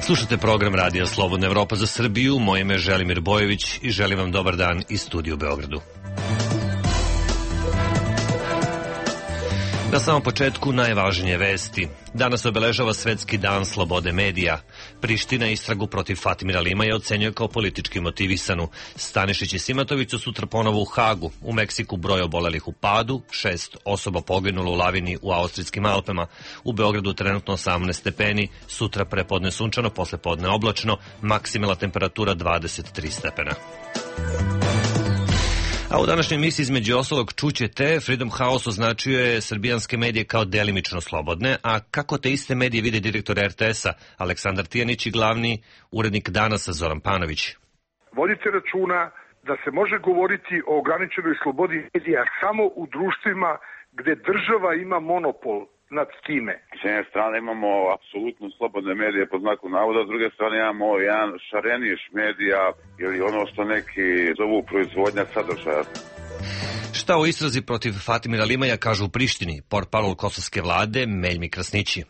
Slušate program Radija Slobodna Evropa za Srbiju, moje ime je Želimir Bojević i želim vam dobar dan iz studija u Beogradu. Na samom početku najvažnije vesti. Danas obeležava Svetski dan slobode medija. Priština istragu protiv Fatimira Limaja ocenjuje kao politički motivisanu. Stanišić i Simatović su sutra ponovo u Hagu. U Meksiku broj obolelih u padu, 6 osoba poginulo u lavini u Austrijskim Alpama. U Beogradu trenutno 18 stepeni, sutra prepodne sunčano, posle podne oblačno, maksimalna temperatura 23 stepena. A u današnjoj emisiji između ostalog čućete, Freedom House označio je srbijanske medije kao delimično slobodne, a kako te iste medije vide direktor RTS-a Aleksandar Tijanić i glavni urednik Danasa Zoran Panović. Vodite računa da se može govoriti o ograničenoj slobodi medija samo u društvima gde država ima monopol nad time. S jedne strane imamo apsolutno slobodne medije pod znakom navoda, s druge strane imamo jedan šareniš medija ili ono što neki zovu proizvodnja sadržaja. Šta o istrazi protiv Fatimira Limaja kažu u Prištini, portparol kosovske vlade Meljmi Krasnići.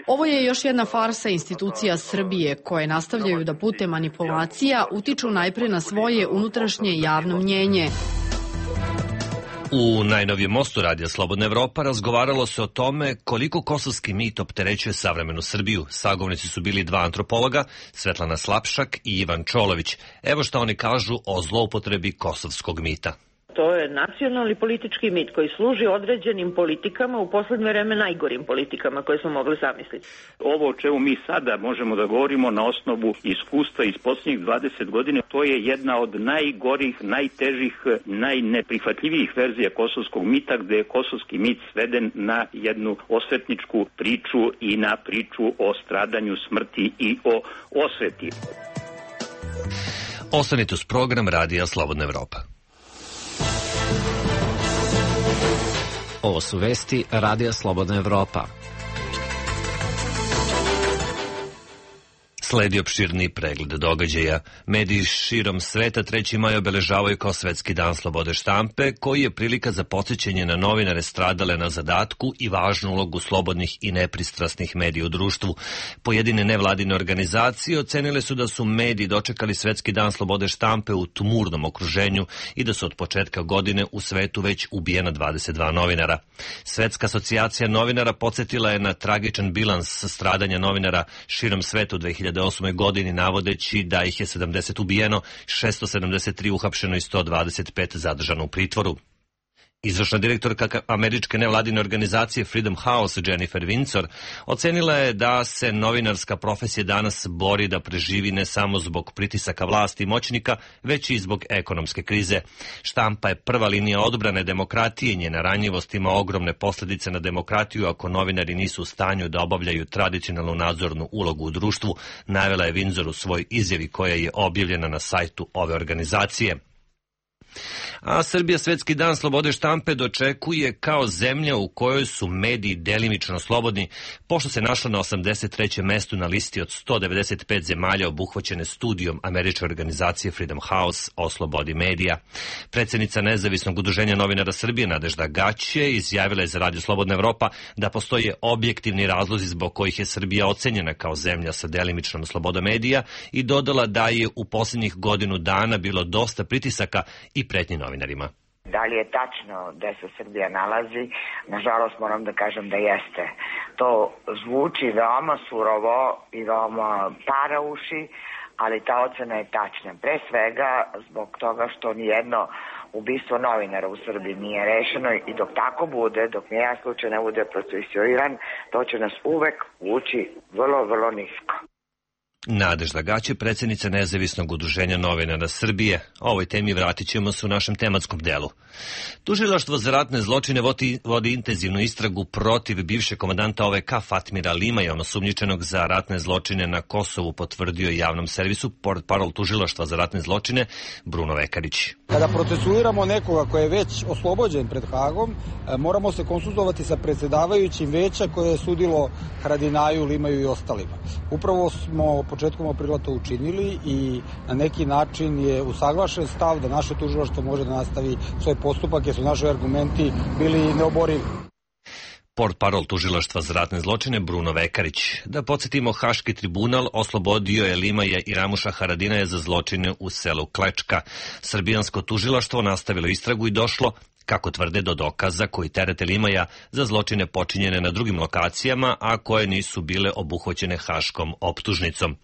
Ovo je još jedna farsa institucija Srbije koje nastavljaju da putem manipulacija utiču najpre na svoje unutrašnje javno mnjenje. U najnovijem mostu Radija Slobodna Evropa razgovaralo se o tome koliko kosovski mit opterećuje savremenu Srbiju. Sagovornici su bili dva antropologa, Svetlana Slapšak i Ivan Čolović. Evo šta oni kažu o zloupotrebi kosovskog mita. To je nacionalni politički mit koji služi određenim politikama, u poslednje vreme najgorim politikama koje smo mogli zamisliti. Ovo o čemu mi sada možemo da govorimo na osnovu iskustva iz posljednjih 20 godina, to je jedna od najgorih, najtežih, najneprihvatljivijih verzija kosovskog mita, gde je kosovski mit sveden na jednu osvetničku priču i na priču o stradanju, smrti i o osveti. Ostanite uz program Radija Slobodna Evropa. Ovo su vesti Radija Slobodna Evropa. Sledi opširni pregled događaja. Mediji širom sveta 3. maj obeležavaju kao Svetski dan slobode štampe, koji je prilika za podsjećanje na novinare stradale na zadatku i važnu ulogu slobodnih i nepristrasnih medija u društvu. Pojedine nevladine organizacije ocenile su da su mediji dočekali Svetski dan slobode štampe u tumurnom okruženju i da su od početka godine u svetu već ubijena 22 novinara. Svetska asocijacija novinara podsjetila je na tragičan bilans stradanja novinara širom svetu 2008. godini, navodeći da ih je 70 ubijeno, 673 uhapšeno i 125 zadržano u pritvoru. Izvršna direktorka američke nevladine organizacije Freedom House Jennifer Windsor ocenila je da se novinarska profesija danas bori da preživi ne samo zbog pritisaka vlasti i moćnika, već i zbog ekonomske krize. Štampa je prva linija odbrane demokratije i njena ranjivost ima ogromne posljedice na demokratiju ako novinari nisu u stanju da obavljaju tradicionalnu nadzornu ulogu u društvu, navela je Windsor u svoj izjavi koja je objavljena na sajtu ove organizacije. A Srbija Svetski dan slobode štampe dočekuje kao zemlja u kojoj su mediji delimično slobodni, pošto se našla na 83. mestu na listi od 195 zemalja obuhvaćene studijom američke organizacije Freedom House o slobodi medija. Predsjednica Nezavisnog udruženja novinara Srbije Nadežda Gaće izjavila je za Radio Slobodna Evropa da postoje objektivni razlozi zbog kojih je Srbija ocenjena kao zemlja sa delimičnom slobodom medija i dodala da je u posljednjih godinu dana bilo dosta pritisaka i pretnji novinarima. Da li je tačno da se Srbija nalazi? Nažalost moram da kažem da jeste. To zvuči veoma surovo i veoma parauši, ali ta ocena je tačna. Pre svega zbog toga što nijedno ubistvo novinara u Srbiji nije rešeno i dok tako bude, dok nijedan slučaj ne bude procesuiran, to će nas uvek vući vrlo, vrlo nisko. Nadežda Gaće, predsjednica Nezavisnog udruženja novinara Srbije. O ovoj temi vratit ćemo se u našem tematskom delu. Tužilaštvo za ratne zločine vodi intenzivnu istragu protiv bivšeg komandanta OVK Fatimira Limaja, osumnjičenog za ratne zločine na Kosovu, potvrdio javnom servisu portparol tužilaštva za ratne zločine Bruno Vekarić. Kada procesuiramo nekoga koji je već oslobođen pred Hagom, moramo se konsultovati sa predsjedavajućim veća koje je sudilo Haradinaju, Limaju i ostalima. Upravo smo početkom aprila to učinili i na neki način je usaglašen stav da naše tužilaštvo može da nastavi svoj postupak jer su naši argumenti bili neoborivi. portparol tužilaštva za ratne zločine Bruno Vekarić. Da podsjetimo, Haški tribunal oslobodio je Limaja i Ramuša Haradinaja za zločine u selu Klečka. Srbijansko tužilaštvo nastavilo istragu i došlo, kako tvrde, do dokaza koji terete Limaja za zločine počinjene na drugim lokacijama, a koje nisu bile obuhvaćene haškom optužnicom.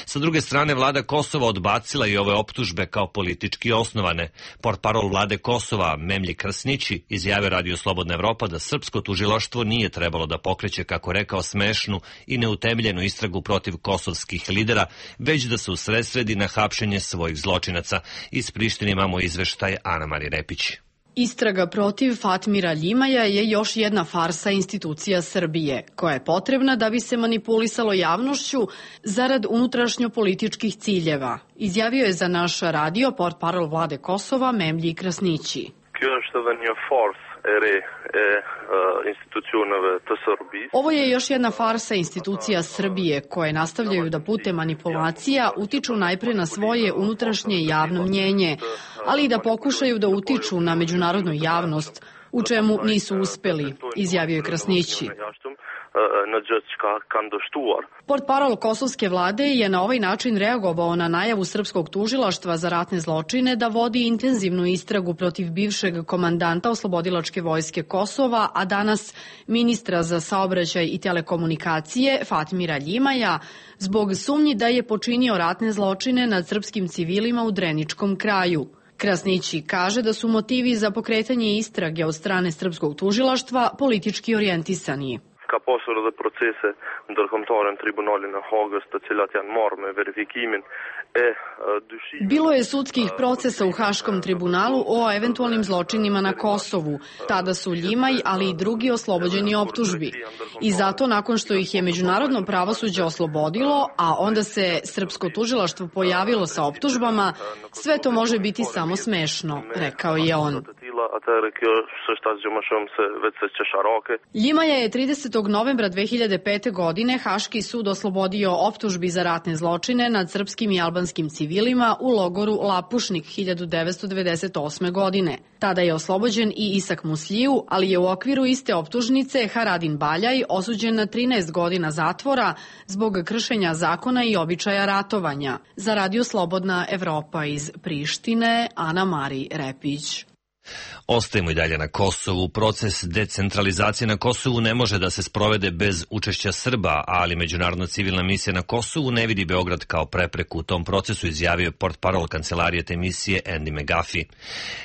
Sa druge strane, vlada Kosova odbacila i ove optužbe kao politički osnovane. Portparol vlade Kosova Memlji Krsnići izjavio Radio Slobodna Evropa da srpsko tužilaštvo nije trebalo da pokreće, kako rekao, smešnu i neutemeljenu istragu protiv kosovskih lidera, već da se usredsredi na hapšenje svojih zločinaca. Iz Prištine imamo izveštaj Ana Mari Repić. Istraga protiv Fatmira Limaja je još jedna farsa institucija Srbije, koja je potrebna da bi se manipulisalo javnošću zarad unutrašnjopolitičkih ciljeva, izjavio je za naš radio portparol vlade Kosova Memlji Krasnići. Ovo je još jedna farsa institucija Srbije, koje nastavljaju da putem manipulacija utiču najpre na svoje unutrašnje javno mnjenje, ali i da pokušaju da utiču na međunarodnu javnost, u čemu nisu uspeli, izjavio je Krasnići. Portparol kosovske vlade je na ovaj način reagovao na najavu srpskog tužilaštva za ratne zločine da vodi intenzivnu istragu protiv bivšeg komandanta Oslobodilačke vojske Kosova, a danas ministra za saobraćaj i telekomunikacije Fatmira Limaja, zbog sumnji da je počinio ratne zločine nad srpskim civilima u Dreničkom kraju. Krasnići kaže da su motivi za pokretanje istrage od strane srpskog tužilaštva politički orijentisani. Ka posur dhe procese ndërkombëtare në tribunalin e Hagës, të cilat janë marrë me verifikimin e dyshimit. Bilo je sudskih procesa u Haškom tribunalu o eventualnim zločinima na Kosovu. Tada su Ljimaj, ali i drugi oslobođeni optužbi. I zato, nakon što ih je međunarodno pravosuđe oslobodilo, a onda se srpsko tužilaštvo pojavilo sa optužbama, sve to može biti samo smešno, rekao je on. Ljimaja je 30. novembra 2005. godine Haški sud oslobodio optužbi za ratne zločine nad srpskim i albanskim civilima u logoru Lapušnik 1998. godine. Tada je oslobođen i Isak Musliju, ali je u okviru iste optužnice Haradin Baljaj osuđen na 13 godina zatvora zbog kršenja zakona i običaja ratovanja. Za Radio Slobodna Evropa iz Prištine, Ana Mari Repić. Ostajemo i dalje na Kosovu. Proces decentralizacije na Kosovu ne može da se sprovede bez učešća Srba, ali Međunarodna civilna misija na Kosovu ne vidi Beograd kao prepreku u tom procesu, izjavio je portparol kancelarije te misije Andy McGuffey.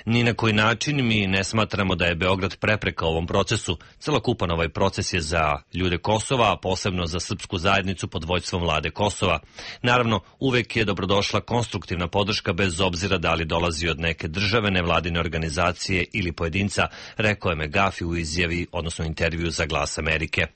Ni na koji način mi ne smatramo da je Beograd prepreka ovom procesu. Celokupan ovaj proces je za ljude Kosova, a posebno za srpsku zajednicu pod vođstvom vlade Kosova. Naravno, uvek je dobrodošla konstruktivna podrška bez obzira da li dolazi od neke države, nevladine organizacije ili pojedinca, rekao je McGuffey u izjavi, odnosno intervju za Glas Amerike.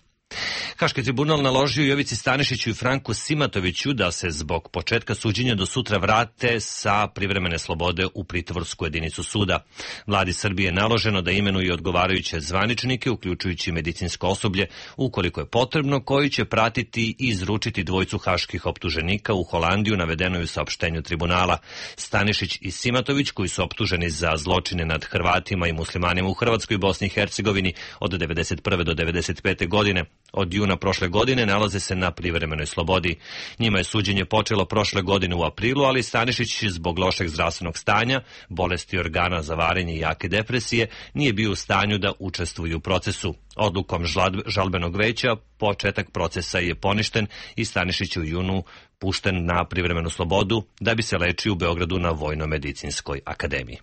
Haški tribunal naložio Jovici Stanišiću i Franku Simatoviću da se zbog početka suđenja do sutra vrate sa privremene slobode u pritvorsku jedinicu suda. Vladi Srbije je naloženo da imenuje odgovarajuće zvaničnike, uključujući medicinsko osoblje, ukoliko je potrebno, koji će pratiti i izručiti dvojicu haških optuženika u Holandiju, navedeno je u saopštenju tribunala. Stanišić i Simatović, koji su optuženi za zločine nad Hrvatima i muslimanima u Hrvatskoj i Bosni i Hercegovini od 1991. do 1995. godine, od juna prošle godine nalaze se na privremenoj slobodi. Njima je suđenje počelo prošle godine u aprilu, ali Stanišić zbog lošeg zdravstvenog stanja, bolesti organa za varenje i jake depresije nije bio u stanju da učestvuje u procesu. Odlukom žalbenog veća početak procesa je poništen i Stanišić je u junu pušten na privremenu slobodu da bi se lečio u Beogradu na Vojno-medicinskoj akademiji.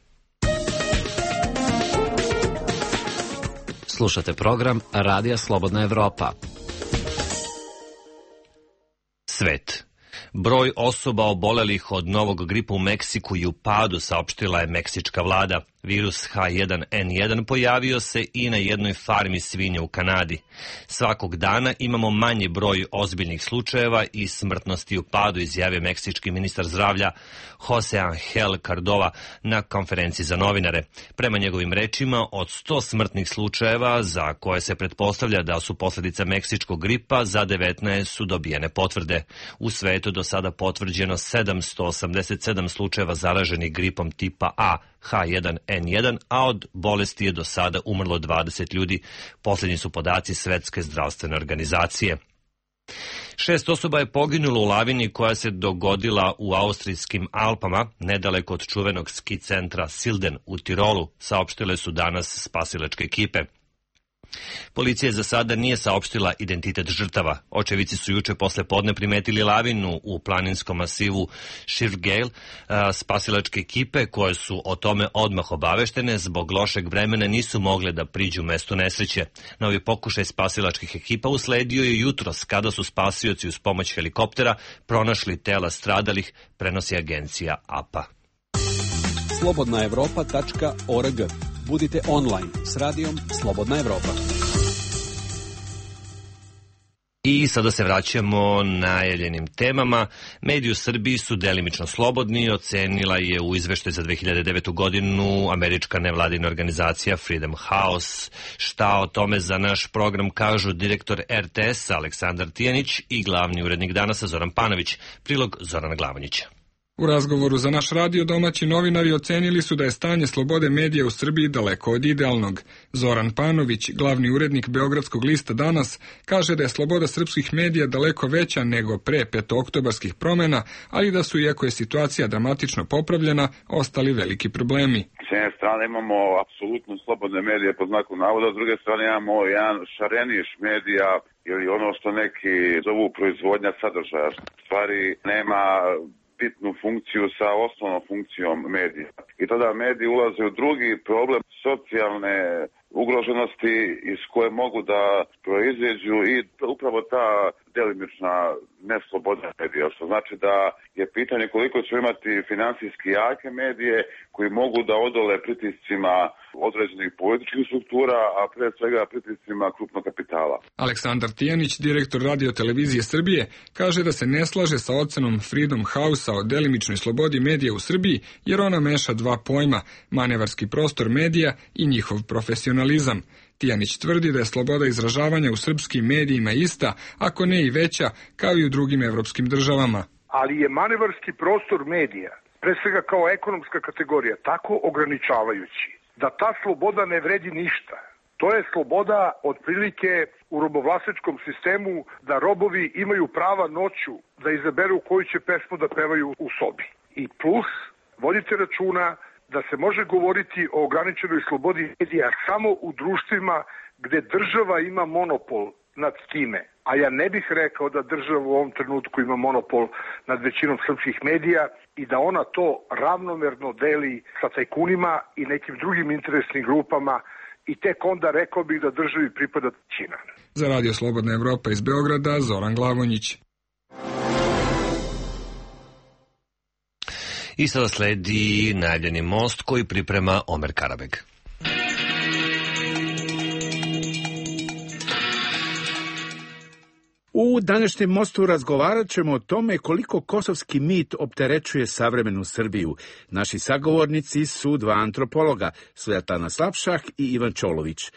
Slušate program Radija Slobodna Evropa. Svet. Broj osoba obolelih od novog gripa u Meksiku je u padu, saopštila je meksička vlada. Virus H1N1 pojavio se i na jednoj farmi svinja u Kanadi. Svakog dana imamo manji broj ozbiljnih slučajeva i smrtnosti u padu, izjavio meksički ministar zdravlja Jose Angel Cardova na konferenciji za novinare. Prema njegovim rečima, od 100 smrtnih slučajeva za koje se pretpostavlja da su posljedica meksičkog gripa, za 19 su dobijene potvrde. U svetu do sada potvrđeno 787 slučajeva zaraženih gripom tipa A, H1N1, a od bolesti je do sada umrlo 20 ljudi. Poslednji su podaci Svetske zdravstvene organizacije. 6 osoba je poginulo u lavini koja se dogodila u austrijskim Alpama, nedaleko od čuvenog ski centra Silden u Tirolu, saopštile su danas spasilačke ekipe. Policija za sada nije saopštila identitet žrtava. Očevici su juče posle podne primetili lavinu u planinskom masivu Širfgeil. Spasilačke ekipe koje su o tome odmah obaveštene zbog lošeg vremena nisu mogle da priđu mestu nesreće. Novi pokušaj spasilačkih ekipa usledio je jutros kada su spasioci uz pomoć helikoptera pronašli tela stradalih, prenosi agencija APA. slobodnaevropa.org. Budite online s radijom Slobodna Evropa. I sada se vraćamo najavljenim temama. Mediji u Srbiji su delimično slobodni, ocenila je u izveštaju za 2009. godinu američka nevladina organizacija Freedom House. Šta o tome za naš program kažu direktor RTS Aleksandar Tijanić i glavni urednik Danasa Zoran Panović. Prilog Zorana Glavonjića. U razgovoru za naš radio domaći novinari ocenili su da je stanje slobode medija u Srbiji daleko od idealnog. Zoran Panović, glavni urednik Beogradskog lista Danas, kaže da je sloboda srpskih medija daleko veća nego pre petooktobarskih promena, ali da su, iako je situacija dramatično popravljena, ostali veliki problemi. S jedne strane imamo apsolutno slobodne medije po znaku navoda, s druge strane imamo jedan šareniš medija ili ono što neki zovu proizvodnja sadržaja. Stvari nema bitnu funkciju sa osnovnom funkcijom medija. I tada mediji ulaze u drugi problem socijalne ugroženosti iz koje mogu da proizađu i upravo ta delimična nesloboda medija, što znači da je pitanje koliko će imati finansijski jake medije koji mogu da odole pritiscima određenih političkih struktura, a pre svega pritiscima krupnog kapitala. Aleksandar Tijanić, direktor Radio televizije Srbije, kaže da se ne slaže sa ocenom Freedom House-a o delimičnoj slobodi medija u Srbiji, jer ona meša dva pojma, manevarski prostor medija i njihov profesionalizam. Tijanić tvrdi da je sloboda izražavanja u srpskim medijima ista, ako ne i veća, kao i u drugim evropskim državama. Ali je manevarski prostor medija, pre svega kao ekonomska kategorija, tako ograničavajući da ta sloboda ne vredi ništa. To je sloboda otprilike u robovlasničkom sistemu da robovi imaju prava noću da izaberu koju će pesmu da pevaju u sobi. I plus, vodite računa da se može govoriti o ograničenoj slobodi medija samo u društvima gde država ima monopol nad time. A ja ne bih rekao da država u ovom trenutku ima monopol nad većinom srpskih medija i da ona to ravnomerno deli sa tajkunima i nekim drugim interesnim grupama i tek onda rekao bih da državi pripada trećina. Za Radio Slobodna Evropa iz Beograda, Zoran Glavonjić. I sada sledi najavljeni most koji priprema Omer Karabeg. U današnjem mostu razgovarat ćemo o tome koliko kosovski mit opterećuje savremenu Srbiju. Naši sagovornici su dva antropologa, Svetlana Slavšak i Ivan Čolović.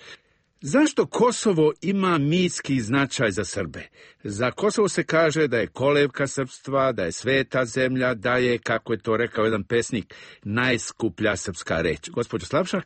Zašto Kosovo ima mitski značaj za Srbe? Za Kosovo se kaže da je kolevka srpstva, da je sveta zemlja, da je, kako je to rekao jedan pesnik, najskuplja srpska reč. Gospođo Slavšak?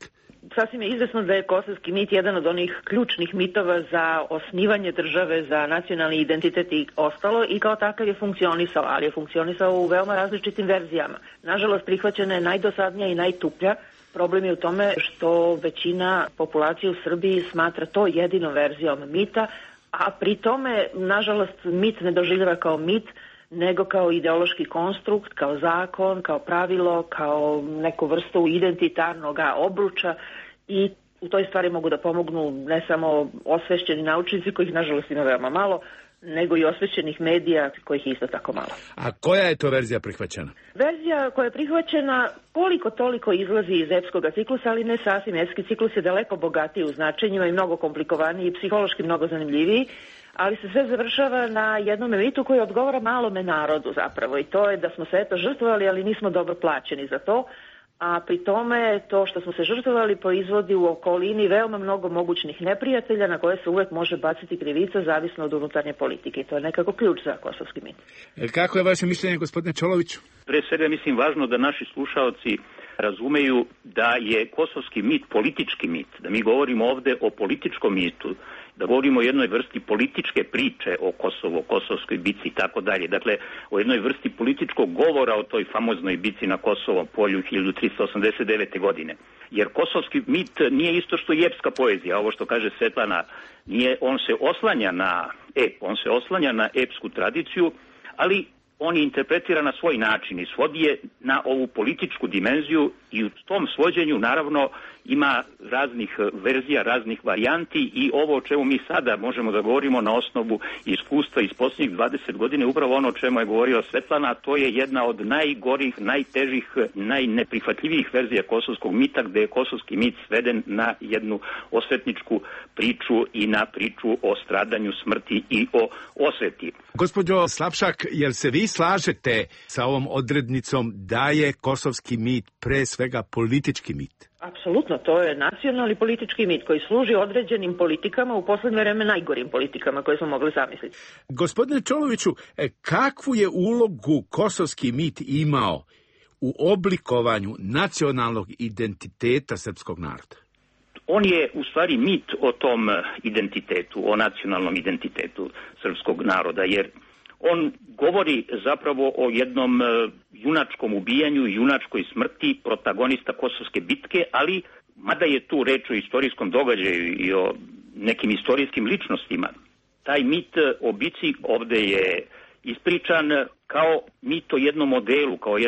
Sasvim je izvesno da je kosovski mit jedan od onih ključnih mitova za osnivanje države, za nacionalni identitet i ostalo, i kao takav je funkcionisao, ali je funkcionisao u veoma različitim verzijama. Nažalost, prihvaćena je najdosadnija i najtuplja. Problem je u tome što većina populacije u Srbiji smatra to jedinom verzijom mita, a pri tome, nažalost, mit ne doživljava kao mit, nego kao ideološki konstrukt, kao zakon, kao pravilo, kao neku vrstu identitarnog obruča, i u toj stvari mogu da pomognu ne samo osvešćeni naučnici, kojih nažalost ima veoma malo, nego i osvećenih medija, kojih je isto tako malo. A koja je to verzija prihvaćena? Verzija koja je prihvaćena koliko toliko izlazi iz epskog ciklusa, ali ne sasvim. Epski ciklus je daleko bogatiji u značenjima i mnogo komplikovaniji i psihološki mnogo zanimljiviji, ali se sve završava na jednom mitu koji odgovara malome narodu zapravo, i to je da smo se eto žrtvovali, ali nismo dobro plaćeni za to, a pri tome to što smo se žrtvovali proizvodi u okolini veoma mnogo mogućnih neprijatelja na koje se uvek može baciti krivica zavisno od unutarnje politike, i to je nekako ključ za kosovski mit. Kako je vaše mišljenje, gospodine Čoloviću? Pre svega mislim važno da naši slušaoci razumeju da je kosovski mit politički mit, da mi govorimo ovde o političkom mitu, da govorimo o jednoj vrsti političke priče o Kosovu, o kosovskoj bici i tako dalje. Dakle, o jednoj vrsti političkog govora o toj famoznoj bici na Kosovom polju 1389. godine. Jer kosovski mit nije isto što i epska poezija, ovo što kaže Svetlana, on se oslanja na on se oslanja na epsku tradiciju, ali on je interpretira na svoj način i svodi je na ovu političku dimenziju i u tom svođenju naravno ima raznih verzija, raznih varijanti i ovo o čemu mi sada možemo da govorimo na osnovu iskustva iz posljednjih 20 godina, upravo ono o čemu je govorila Svetlana, to je jedna od najgorih, najtežih, najneprihvatljivijih verzija kosovskog mita, gde je kosovski mit sveden na jednu osvetničku priču i na priču o stradanju, smrti i o osveti. Gospođo Slapšak, jel se vi slažete sa ovom odrednicom da je kosovski mit pre svega politički mit? Apsolutno, to je nacionalni politički mit koji služi određenim politikama, u poslednje vreme najgorim politikama koje smo mogli zamisliti. Gospodine Čoloviću, kakvu je ulogu kosovski mit imao u oblikovanju nacionalnog identiteta srpskog naroda? On je u stvari mit o tom identitetu, o nacionalnom identitetu srpskog naroda, jer on govori zapravo o jednom junačkom ubijanju, junačkoj smrti protagonista Kosovske bitke, ali mada je tu reč o istorijskom događaju i o nekim istorijskim ličnostima, taj mit o bici ovde je ispričan kao mit o jednom modelu, kao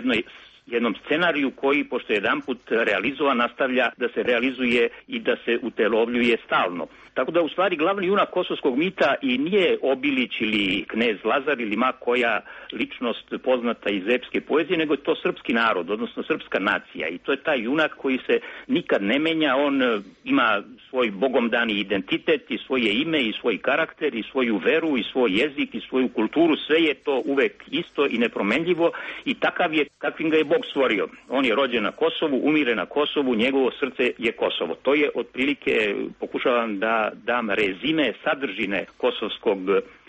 jednom scenariju koji, pošto je jedanput realizovan, nastavlja da se realizuje i da se utelovljuje stalno. Tako da u stvari glavni junak kosovskog mita i nije Obilić ili knez Lazar ili ma koja ličnost poznata iz epske poezije, nego je to srpski narod, odnosno srpska nacija. I to je taj junak koji se nikad ne menja, on ima svoj bogomdani identitet i svoje ime i svoj karakter i svoju veru i svoj jezik i svoju kulturu, sve je to uvek isto i nepromenljivo i takav je kakvim ga je Bog stvorio. On je rođen na Kosovu, umire na Kosovu, njegovo srce je Kosovo. To je otprilike, pokušavam da dam rezime sadržine kosovskog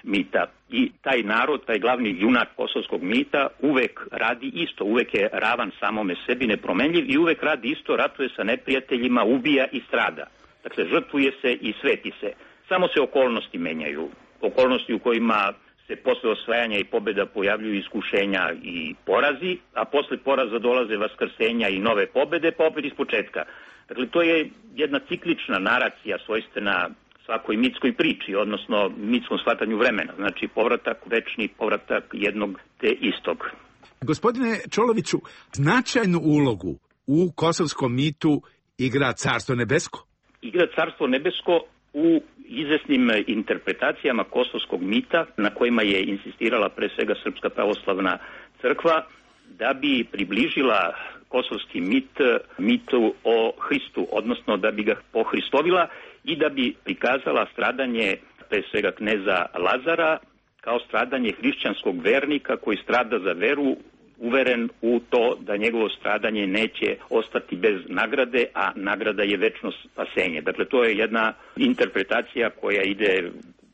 mita. I taj narod, taj glavni junak kosovskog mita uvek radi isto, uvek je ravan samome sebi, nepromenljiv i uvek radi isto, ratuje sa neprijateljima, ubija i strada. Dakle, žrtvuje se i sveti se. Samo se okolnosti menjaju. Okolnosti u kojima se posle osvajanja i pobjeda pojavljuju iskušenja i porazi, a posle poraza dolaze vaskrsenja i nove pobjede, pa opet iz početka. Dakle, to je jedna ciklična naracija svojstvena svakoj mitskoj priči, odnosno mitskom shvatanju vremena. Znači, povratak, večni povratak jednog te istog. Gospodine Čoloviću, značajnu ulogu u kosovskom mitu igra Carstvo nebesko? Igra Carstvo nebesko u izvesnim interpretacijama kosovskog mita, na kojima je insistirala pre svega Srpska pravoslavna crkva, da bi približila kosovski mitu o Hristu, odnosno da bi ga pohristovila i da bi prikazala stradanje pre svega kneza Lazara kao stradanje hrišćanskog vernika koji strada za veru, uveren u to da njegovo stradanje neće ostati bez nagrade, a nagrada je večno spasenje. Dakle, to je jedna interpretacija koja ide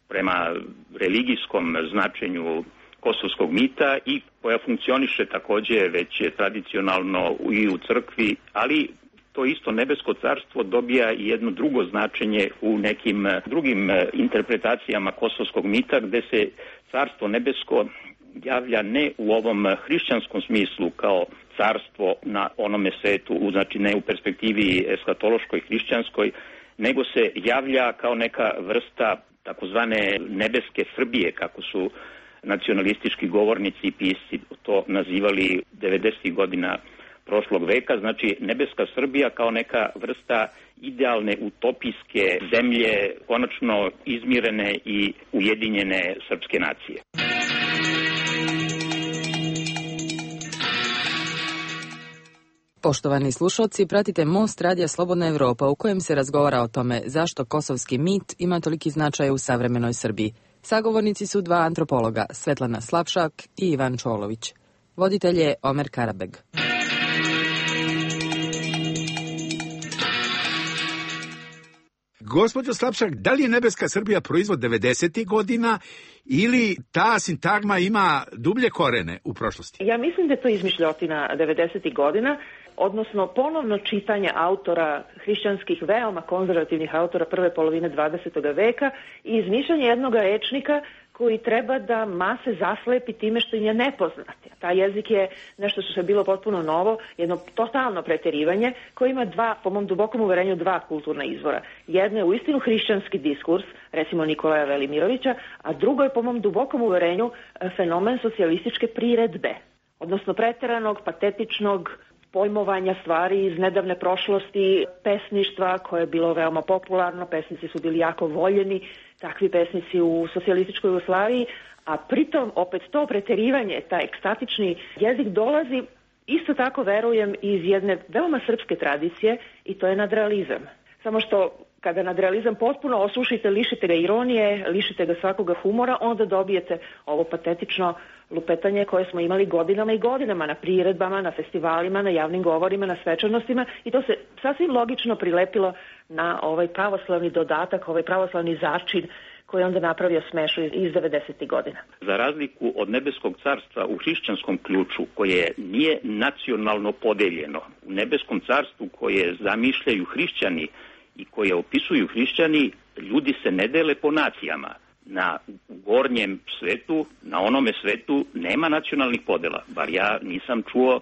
prema religijskom značenju kosovskog mita i koja funkcioniše takođe već tradicionalno i u crkvi, ali to isto nebesko carstvo dobija i jedno drugo značenje u nekim drugim interpretacijama kosovskog mita, gde se carstvo nebesko javlja ne u ovom hrišćanskom smislu kao carstvo na onome svetu, znači ne u perspektivi eskatološkoj hrišćanskoj, nego se javlja kao neka vrsta takozvane nebeske Srbije, kako su nacionalistički govornici i pisci to nazivali 90. godina prošlog veka, znači nebeska Srbija kao neka vrsta idealne utopijske zemlje, konačno izmirene i ujedinjene srpske nacije. Poštovani slušalci, pratite Most Radija Slobodna Evropa u kojem se razgovara o tome zašto kosovski mit ima toliki značaj u savremenoj Srbiji. Sagovornici su dva antropologa, Svetlana Slapšak i Ivan Čolović. Voditelj je Omer Karabeg. Gospođo Slapšak, da li je nebeska Srbija proizvod 90. godina ili ta sintagma ima dublje korene u prošlosti? Ja mislim da je to izmišljotina 90. godina. odnosno ponovno čitanje autora hrišćanskih, veoma konzervativnih autora prve polovine 20. veka i izmišljanje jednog rečnika koji treba da mase zaslepi time što im je nepoznat. Taj jezik je nešto što je bilo potpuno novo, jedno totalno preterivanje koje ima po mom dubokom uverenju dva kulturna izvora. Jedno je uistinu hrišćanski diskurs, recimo Nikolaja Velimirovića, a drugo je po mom dubokom uverenju fenomen socijalističke priredbe, odnosno preteranog, patetičnog pojmovanja stvari iz nedavne prošlosti, pesništva koje je bilo veoma popularno, pesnici su bili jako voljeni, takvi pesnici u socijalističkoj Jugoslaviji, a pritom opet to preterivanje, taj ekstatični jezik dolazi isto tako, verujem, iz jedne veoma srpske tradicije i to je nadrealizam. Samo što kada nadrealizam potpuno osušite, lišite ga ironije, lišite ga svakoga humora, onda dobijete ovo patetično lupetanje koje smo imali godinama i godinama na priredbama, na festivalima, na javnim govorima, na svečanostima i to se sasvim logično prilepilo na ovaj pravoslavni dodatak, ovaj pravoslavni začin koji je onda napravio smešu iz 90. godina. Za razliku od nebeskog carstva u hrišćanskom ključu, koje nije nacionalno podeljeno, u nebeskom carstvu koje zamišljaju hrišćani i koje opisuju hrišćani, ljudi se ne dele po nacijama. Na gornjem svetu, na onome svetu nema nacionalnih podela, bar ja nisam čuo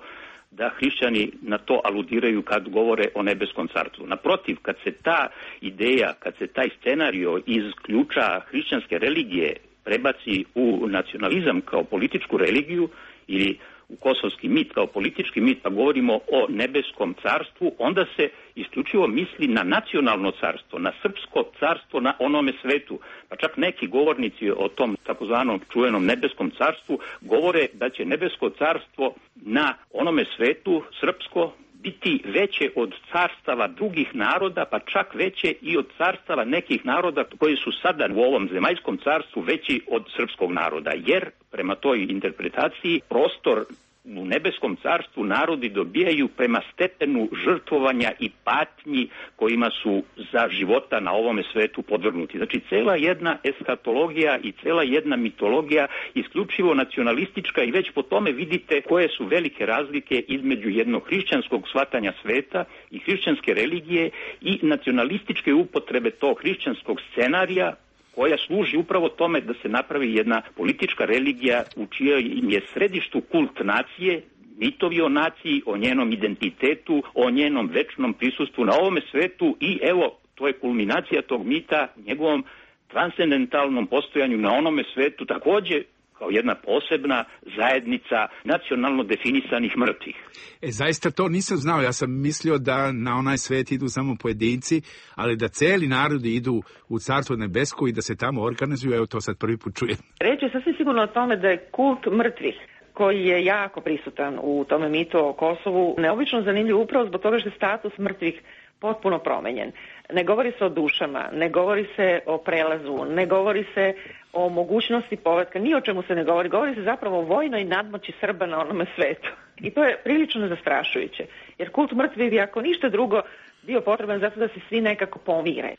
da hrišćani na to aludiraju kad govore o nebeskom carstvu. Naprotiv, kad se ta ideja, kad se taj scenario iz ključa hrišćanske religije prebaci u nacionalizam kao političku religiju ili u kosovski mit kao politički mit, pa govorimo o nebeskom carstvu, onda se isključivo misli na nacionalno carstvo, na srpsko carstvo na onome svetu. Pa čak neki govornici o tom takozvanom čuvenom nebeskom carstvu govore da će nebesko carstvo na onome svetu srpsko biti veće od carstava drugih naroda, pa čak veće i od carstava nekih naroda koji su sada u ovom zemaljskom carstvu veći od srpskog naroda, jer prema toj interpretaciji prostor u nebeskom carstvu narodi dobijaju prema stepenu žrtvovanja i patnji kojima su za života na ovome svetu podvrgnuti. Znači, cela jedna eskatologija i cela jedna mitologija isključivo nacionalistička i već po tome vidite koje su velike razlike između jednog hrišćanskog shvatanja sveta i hrišćanske religije i nacionalističke upotrebe tog hrišćanskog scenarija koja služi upravo tome da se napravi jedna politička religija u čijem je središtu kult nacije, mitovi o naciji, o njenom identitetu, o njenom večnom prisustvu na ovome svetu i evo, to je kulminacija tog mita, njegovom transcendentalnom postojanju na onome svetu, takođe kao jedna posebna zajednica nacionalno definisanih mrtvih. Zaista to nisam znao, ja sam mislio da na onaj svet idu samo pojedinci, ali da celi narodi idu u Carstvo nebesko i da se tamo organizuju, evo to sad prvi put čujem. Reč je sasvim sigurno o tome da je kult mrtvih, koji je jako prisutan u tome mitu o Kosovu, neobično zanimljiv upravo zbog toga što je status mrtvih potpuno promenjen. Ne govori se o dušama, ne govori se o prelazu, ne govori se o mogućnosti povratka, ni o čemu se ne govori. Govori se zapravo o vojnoj nadmoći Srba na onome svetu. I to je prilično zastrašujuće. Jer kult mrtvih bi, ako ništa drugo, bio potreban zato da se svi nekako pomire.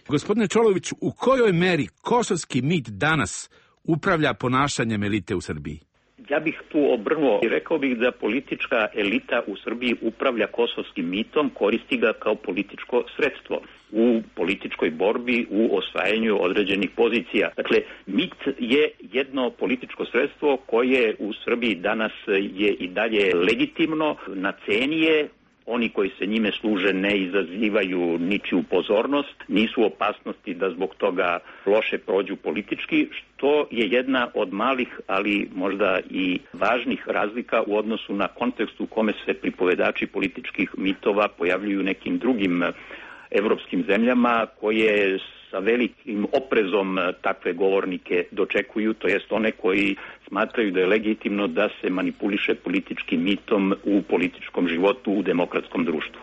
Gospodine Čolović, u kojoj meri kosovski mit danas upravlja ponašanjem elite u Srbiji? Ja bih tu obrnuo i rekao bih da politička elita u Srbiji upravlja kosovskim mitom, koristi ga kao političko sredstvo u političkoj borbi, u osvajanju određenih pozicija. Dakle, mit je jedno političko sredstvo koje u Srbiji danas je i dalje legitimno, na ceni je. Oni koji se njime služe ne izazivaju ničiju pozornost, nisu u opasnosti da zbog toga loše prođu politički, što je jedna od malih, ali možda i važnih razlika u odnosu na kontekst u kome se pripovedači političkih mitova pojavljuju nekim drugim evropskim zemljama koje sa velikim oprezom takve govornike dočekuju, to jest one koji smatraju da je legitimno da se manipuliše političkim mitom u političkom životu u demokratskom društvu.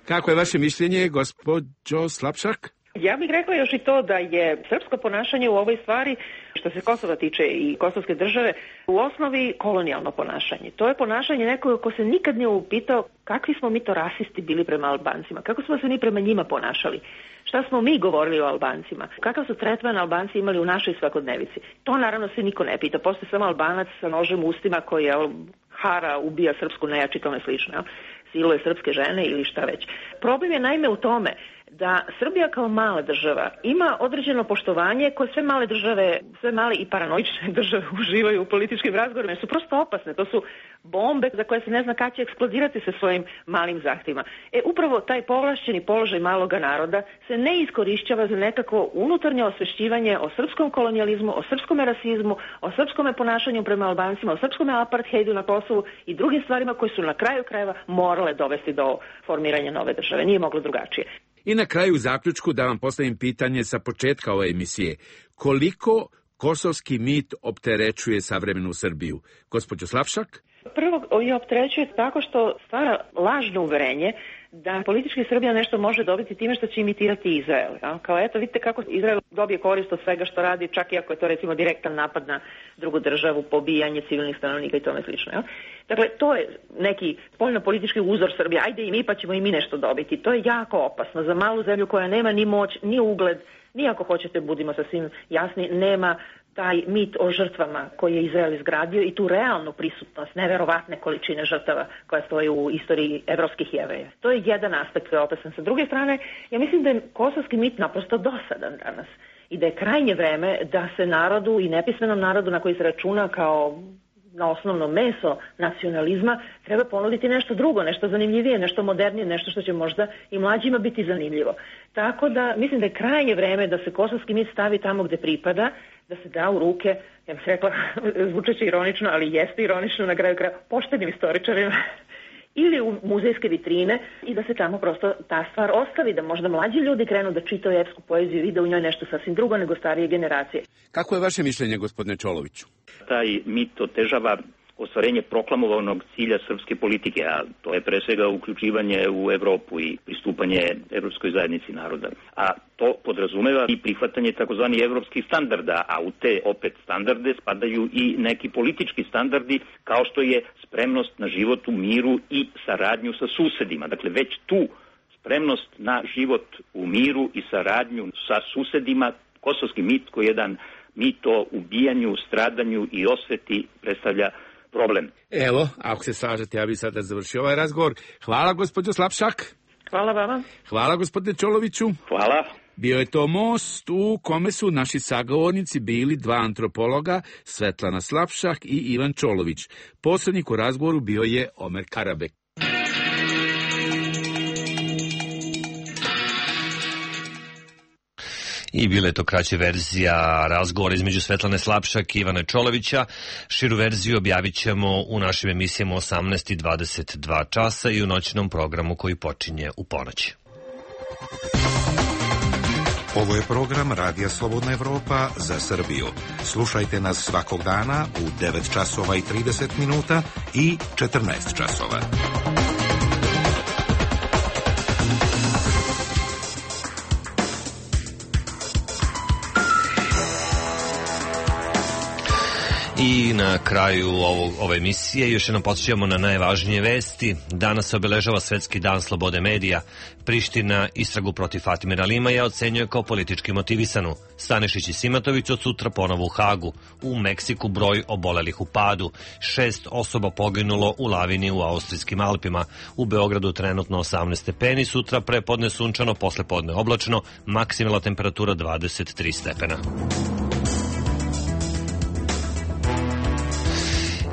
Kako je vaše mišljenje, gospođo Slapšak? Ja bih rekla još i to da je srpsko ponašanje u ovoj stvari, što se Kosova tiče i kosovske države, u osnovi kolonijalno ponašanje. To je ponašanje nekoga ko se nikad nije upitao kakvi smo mi to rasisti bili prema Albancima, kako smo se mi prema njima ponašali, šta smo mi govorili o Albancima, kakav su tretman Albanci imali u našoj svakodnevici. To naravno se niko ne pita, postoje samo Albanac sa nožem u ustima koji hara, ubija srpsku nejač i tome slično. siluje srpske žene ili šta već. Problem je naime u tome da Srbija kao mala država ima određeno poštovanje koje sve male države, sve male i paranoične države uživaju u političkim razgovorima, jer su prosto opasne. To su bombe za koje se ne zna kada će eksplodirati sa svojim malim zahtjevima. Upravo taj povlašćeni položaj maloga naroda se ne iskorišćava za nekako unutarnje osvešćivanje o srpskom kolonijalizmu, o srpskom rasizmu, o srpskom ponašanju prema Albancima, o srpskom apartheidu na Kosovu i drugim stvarima koje su na kraju krajeva morale dovesti do formiranja nove države. Nije moglo drugačije. I na kraju zaključku da vam postavim pitanje sa početka ove emisije. Koliko kosovski mit opterećuje savremenu Srbiju? Gospođo Slavšak? Prvo je opterećuje tako što stvara lažno uverenje da politički Srbija nešto može dobiti time što će imitirati Izrael. Kao eto, vidite kako Izrael dobije korist od svega što radi, čak i ako je to recimo direktan napad na drugu državu, pobijanje civilnih stanovnika i tome slično. Dakle, to je neki spoljno-politički uzor Srbije. Ajde i mi pa ćemo i mi nešto dobiti. To je jako opasno za malu zemlju koja nema ni moć, ni ugled, ni ako hoćete, budimo sasvim jasni, nema taj mit o žrtvama koji je Izrael izgradio i tu realnu prisutnost, neverovatne količine žrtava koja stoji u istoriji evropskih Jevreja. To je jedan aspekt koji je opasan. Sa druge strane, ja mislim da je kosovski mit naprosto dosadan danas i da je krajnje vreme da se narodu i nepismenom narodu na koji se računa kao na osnovno meso nacionalizma treba ponuditi nešto drugo, nešto zanimljivije, nešto modernije, nešto što će možda i mlađima biti zanimljivo. Tako da mislim da je krajnje vreme da se kosovski mit stavi tamo gde pripada, da se da u ruke, ja bih rekla, zvučeće ironično, ali jeste ironično na kraju kraja, poštenim istoričarima ili u muzejske vitrine i da se tamo prosto ta stvar ostavi, da možda mlađi ljudi krenu da čitaju epsku poeziju i vide u njoj nešto sasvim drugo nego starije generacije. Kako je vaše mišljenje, gospodine Čoloviću? Taj mit otežava ostvarenje proklamovanog cilja srpske politike, a to je pre svega uključivanje u Evropu i pristupanje Evropskoj zajednici naroda. A to podrazumeva i prihvatanje takozvani evropskih standarda, a u te opet standarde spadaju i neki politički standardi kao što je spremnost na život u miru i saradnju sa susedima. Dakle, već tu spremnost na život u miru i saradnju sa susedima, kosovski mit koji je jedan mit o ubijanju, stradanju i osveti predstavlja problem. Evo, ako se slažete, ja bih sada završio ovaj razgovor. Hvala, gospođo Slapšak. Hvala vama. Hvala, gospodine Čoloviću. Hvala. Bio je to most u kome su naši sagovornici bili dva antropologa, Svetlana Slapšak i Ivan Čolović. Posrednik u razgovoru bio je Omer Karabek. I bila je to kraća verzija razgovora između Svetlane Slapšak i Ivana Čolovića. Širu verziju objavit ćemo u našim emisijama 18:22 časa i u noćnom programu koji počinje u ponoć. Ovo je program Radija Slobodna Evropa za Srbiju. Slušajte nas svakog dana u 9 časova i 30 minuta i 14 časova. I na kraju ove emisije još jednom podsjećamo na najvažnije vesti. Danas se obeležava Svetski dan slobode medija. Priština istragu protiv Fatimira Limaja ocenjuje kao politički motivisanu. Stanišić i Simatović od sutra ponovo u Hagu. U Meksiku broj obolelih u padu. 6 osoba poginulo u lavini u Austrijskim Alpima. U Beogradu trenutno 18 stepeni, sutra prepodne sunčano, poslepodne oblačno, maksimalna temperatura 23 stepena.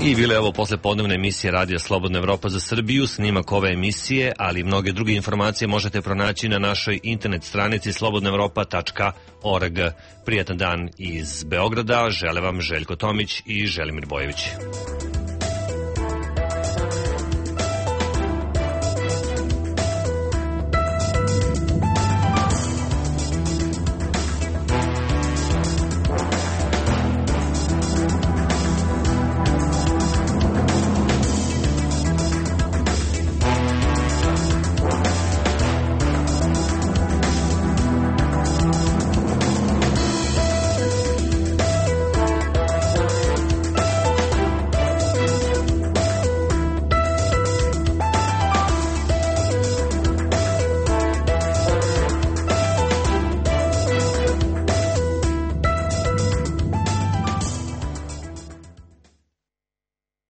I bila je ovo poslepodnevna emisija Radija Slobodna Evropa za Srbiju. Snimak ove emisije, ali i mnoge druge informacije možete pronaći na našoj internet stranici slobodnaevropa.org. Prijatan dan iz Beograda, žele vam Željko Tomić i Želimir Bojević.